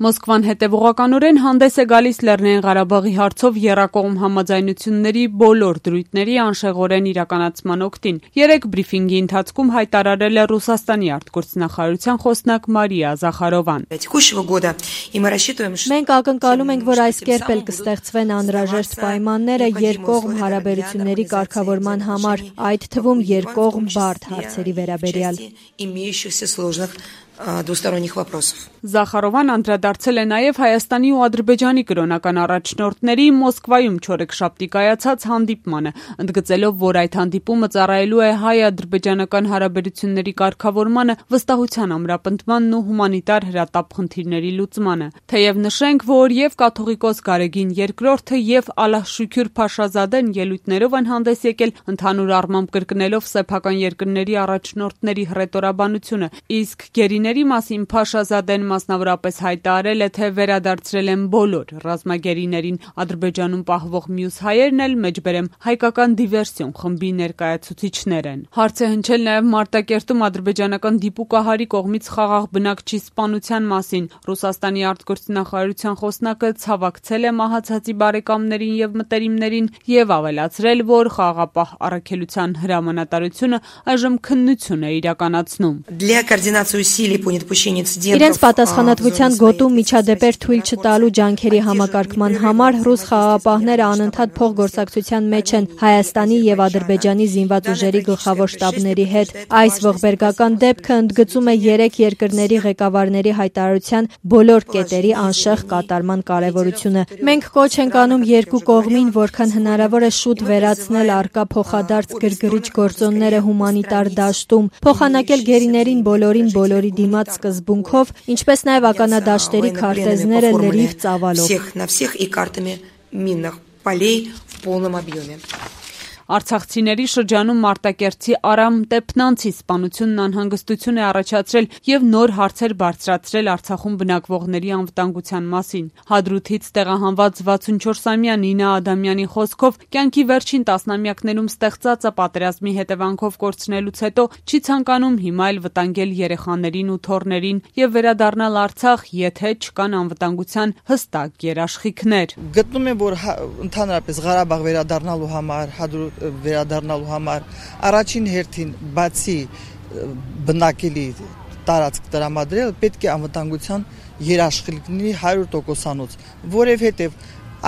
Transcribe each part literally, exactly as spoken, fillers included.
Մոսկվան հետևողականորեն հանդես է գալիս Լեռնային Ղարաբաղի հարցով եռակողմ համաձայնությունների բոլոր դրույթների անշեղորեն իրականացման օգտին։ Երեկ բրիֆինգի ընթացքում հայտարարել է Ռուսաստանի արտգործնախարարության խոսնակ Մարիա Զախարովան։ Մենք ակնկալում ենք, որ այս կերպ էլ կստեղծվեն անհրաժեշտ պայմանները երկկողմ հարաբերությունների կարգավորման համար, այդ թվում երկկողմ բարդ հարցերի վերաբերյալ։ Զախարովան անդրադարձել է նաև Հայաստանի ու Ադրբեջանի կրոնական առաջնորդների Մոսկվայում չորեքշաբթի կայացած հանդիպմանը, ընդգծելով, որ այդ հանդիպումը ծառայելու է հայ-ադրբեջանական հարաբերությունների կարգավորմանը, վստահության ամրապնդմանն ու հումանիտար հրատապ խնդիրների լուծմանը։ Թեև նշենք, որ եւ կաթողիկոս Գարեգին երկրորդը եւ Ալլահ Շուքյուր Փաշազադեն ելույթներով են հանդես եկել, ընդհանուր առմամբ կրկնելով սեփական երկրների առաջնորդների հռետորաբանությունը, իսկ գերիների մասին Փաշազադեն մասնավորապես հայտարարել է, թե վերադարձրել են բոլոր ռազմագերիներին։ Ադրբեջանում պահվող մյուս հայերն էլ մեջբերեմ հայկական դիվերսիոն խմբի ներկայացուցիչներ են։ Հարց է հնչել նաև Մարտակերտում ադրբեջանական դիպուկահարի կողմից խաղաղ բնակչի սպանության մասին։ Ռուսաստանի արտգործնախարարության խոսնակը ցավակցել է մահացածի բարեկամներին եւ մտերիմներին եւ ավելացրել, որ խաղաղապահ առաքելության հրամանատարությունը այժմ քննություն է իրականացնում։ Իրենց պատասխանատվության գոտու միջադեպեր թույլ չտալու ջանքերի համակարգման համար ռուս խաղաղապահները անընդհատ փոխգործակցության մեջ են Հայաստանի եւ Ադրբեջանի զինված ուժերի գլխավոր շտաբների հետ։ Այս ողբերգական դեպքը ընդգծում է երեք երկրների ղեկավարների հայտարարության բոլոր կետերի անշեղ կատարման կարեւորությունը։ Մենք կոչ ենք անում երկու կողմին, որքան հնարավոր է շուտ վերացնել առկա փոխադարձ գրգռիչ գործոնները հումանիտար դաշտում, փոխանակել գերիներին բոլորին բոլորի դիմաց սկզբունքով, ինչպես նաև ականադաշտերի քարտեզները լրիվ ծավալով։ Արցախցիների շրջանում Մարտակերտցի Արամ Տեպնանցի սպանությունն անհանգստություն է առաջացրել եւ նոր հարցեր բարձրացրել Արցախում բնակվողների անվտանգության մասին։ Հադրութից տեղահանված վաթսունչորսամյա Նինա Ադամյանի խոսքով կյանքի վերջին տասնամյակներում ստեղծածը պատերազմի հետևանքով կորցնելուց հետո չի ցանկանում հիմա էլ վտանգել երեխաներին ու թոռներին եւ վերադառնալ Արցախ, եթե չկան անվտանգության հստակ երաշխիքներ։ Գտնում եմ, որ ընդհանրապես Ղարաբաղ վերադառնալու համար Հադրութ վերադառնալու համար առաջին հերթին բացի բնակելի տարածք տրամադրել պետք է անվտանգության երաշխիքների հարյուր տոկոսանոց, որովհետև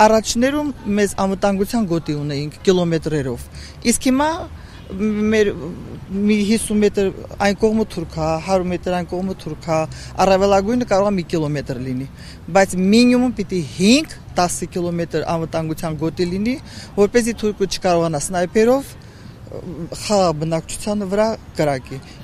առաջներում մեզ անվտանգության գոտի ունեինք կիլոմետրերով, իսկ հիմա մեր մի հիսուն մետր այն կողմը թուրքա, հարյուր մետր այն կողմը թուրքա, առավելագույնը կարող է մի կիլոմետր լինի, բայց մինիմում պիտի հինգ տասը կիլոմետր անվտանգության գոտի լինի, որպեսզի թուրքը չկարողանա սնայպերով խաղաղ բնակչության վրա կրակի։